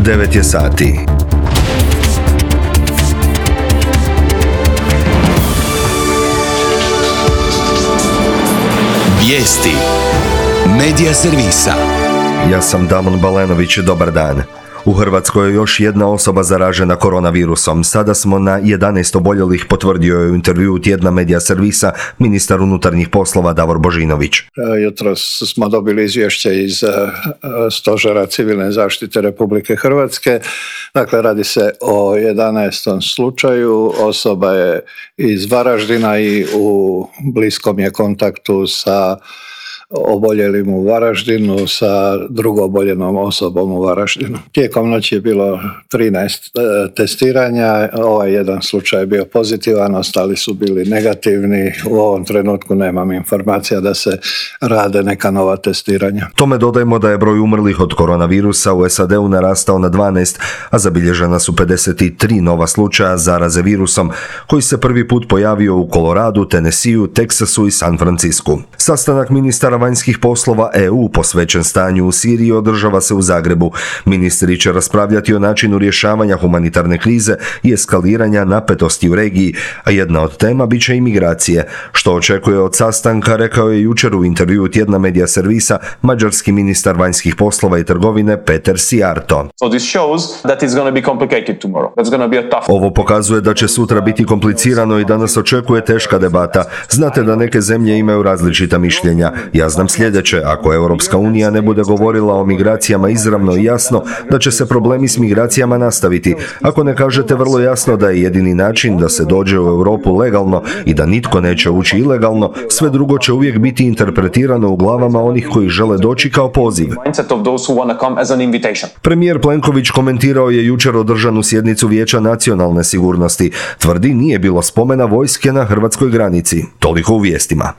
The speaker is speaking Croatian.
9 je sati. Vijesti Medija servisa. Ja sam Damon Balenović, dobar dan. U Hrvatskoj je još jedna osoba zaražena koronavirusom. Sada smo na 11 oboljelih, potvrdio je u intervjuu tjedna Medija servisa ministar unutarnjih poslova Davor Božinović. Jutros smo dobili izvješće iz Stožera civilne zaštite Republike Hrvatske. Dakle, radi se o 11. slučaju. Osoba je iz Varaždina i u bliskom je kontaktu sa oboljelim u Varaždinu, sa drugo oboljenom osobom u Varaždinu. Tijekom noći je bilo 13 testiranja, ovaj jedan slučaj je bio pozitivan, ostali su bili negativni. U ovom trenutku nemam informacija da se rade neka nova testiranja. Tome dodajmo da je broj umrlih od koronavirusa u SAD-u narastao na 12, a zabilježena su 53 nova slučaja zaraze virusom, koji se prvi put pojavio u Koloradu, Tennesseeu, Teksasu i San Francisku. Sastanak ministara vanjskih poslova EU posvećen stanju u Siriji održava se u Zagrebu. Ministri će raspravljati o načinu rješavanja humanitarne krize i eskaliranja napetosti u regiji, a jedna od tema bit će imigracije. Što očekuje od sastanka, rekao je jučer u intervjuu tjedna Medija servisa mađarski ministar vanjskih poslova i trgovine Peter Sijarto. Ovo pokazuje da će sutra biti komplicirano i da nas očekuje teška debata. Znate da neke zemlje imaju različita mišljenja. Ja znam sljedeće, ako Europska unija ne bude govorila o migracijama izravno i jasno, da će se problemi s migracijama nastaviti. Ako ne kažete vrlo jasno da je jedini način da se dođe u Europu legalno i da nitko neće ući ilegalno, sve drugo će uvijek biti interpretirano u glavama onih koji žele doći kao poziv. Premijer Plenković komentirao je jučer održanu sjednicu Vijeća nacionalne sigurnosti. Tvrdi nije bilo spomena vojske na hrvatskoj granici. Toliko u vijestima.